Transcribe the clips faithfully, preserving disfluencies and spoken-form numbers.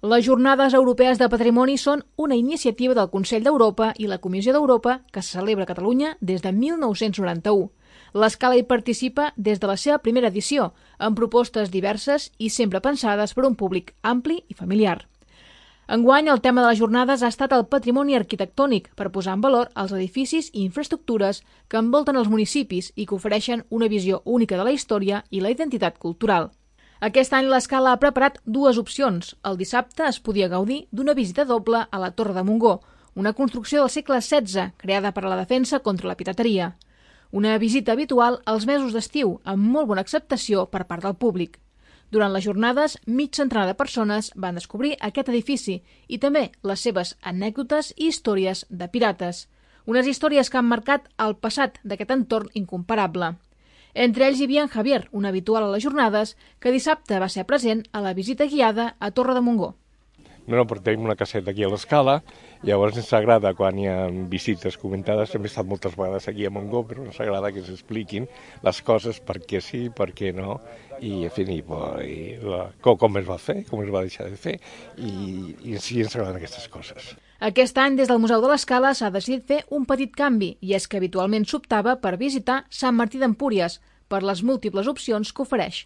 Les Jornades Europees de Patrimoni són una iniciativa del Consell d'Europa i la Comissió d'Europa que se celebra a Catalunya des de mil nou-cents noranta-u. L'Escala hi participa des de la seva primera edició, amb propostes diverses i sempre pensades per un públic ampli i familiar. Enguany, el tema de les jornades ha estat el patrimoni arquitectònic per posar en valor els edificis i infraestructures que envolten els municipis i que ofereixen una visió única de la història i la identitat cultural. Aquest any l'Escala ha preparat dues opcions. El dissabte es podia gaudir d'una visita doble a la Torre de Montgó, una construcció del segle setze creada per a la defensa contra la pirateria. Una visita habitual als mesos d'estiu, amb molt bona acceptació per part del públic. Durant les jornades, mig centenar de persones van descobrir aquest edifici i també les seves anècdotes i històries de pirates. Unes històries que han marcat el passat d'aquest entorn incomparable. Entre ells hi havia en Javier, un habitual a les jornades, que dissabte va ser present a la visita guiada a Torre de Montgó. No, no, perquè tenim una caseta aquí a l'Escala, llavors ens agrada quan hi ha visites comentades, hem estat moltes vegades aquí a Montgó, però ens agrada que s'expliquin les coses, per què sí, per què no, i en fi, i, i, la, com, com es va fer, com es va deixar de fer, i, i sí ens agraden aquestes coses. Aquest any, des del Museu de l'Escala, s'ha decidit fer un petit canvi, i és que habitualment s'optava per visitar Sant Martí d'Empúries, per les múltiples opcions que ofereix.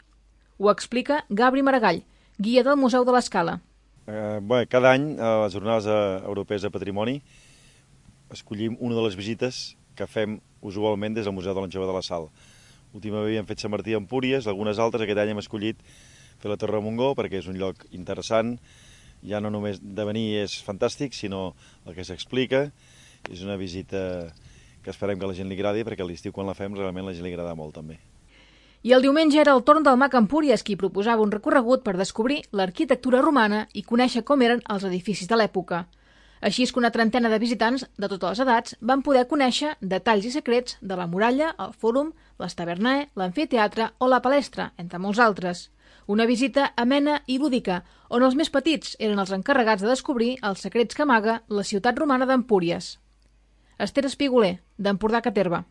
Ho explica Gabri Maragall, guia del Museu de l'Escala. Eh, bé, cada any, a les Jornades Europees de Patrimoni, escollim una de les visites que fem usualment des del Museu de l'Anjova de la Sal. Últimament havíem fet Sant Martí d'Empúries, algunes altres, aquest any hem escollit fer la Torre de Montgó, perquè és un lloc interessant, ja no només de venir és fantàstic, sinó el que s'explica. És una visita que esperem que a la gent li agradi, perquè a l'estiu quan la fem realment la gent li agrada molt també. I el diumenge era el torn del mag Empúries, qui proposava un recorregut per descobrir l'arquitectura romana i conèixer com eren els edificis de l'època. Així és que una trentena de visitants de totes les edats van poder conèixer detalls i secrets de la muralla, el fòrum, les tavernae, l'amfiteatre o la palestra, entre molts altres. Una visita amena i lúdica, on els més petits eren els encarregats de descobrir els secrets que amaga la ciutat romana d'Empúries. Esther Espiguler, d'Empordà Caterva.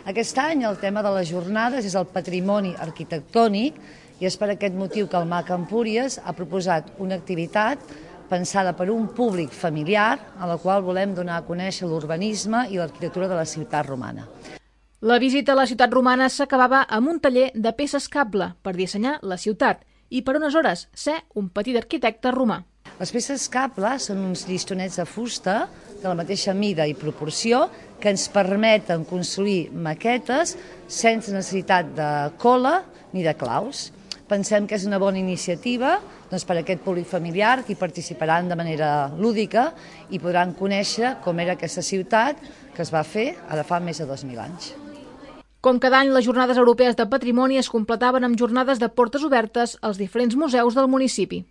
Aquest any el tema de les jornades és el patrimoni arquitectònic i és per aquest motiu que el mag Empúries ha proposat una activitat pensada per un públic familiar a la qual volem donar a conèixer l'urbanisme i l'arquitectura de la ciutat romana. La visita a la ciutat romana s'acabava amb un taller de peces cable per dissenyar la ciutat i per unes hores ser un petit arquitecte romà. Les peces cable són uns llistonets de fusta de la mateixa mida i proporció que ens permeten construir maquetes sense necessitat de cola ni de claus. Pensem que és una bona iniciativa doncs, per a aquest públic familiar que hi participaran de manera lúdica i podran conèixer com era aquesta ciutat que es va fer ara fa més de dos mil anys. Com cada any, les Jornades Europees de Patrimoni es completaven amb jornades de portes obertes als diferents museus del municipi.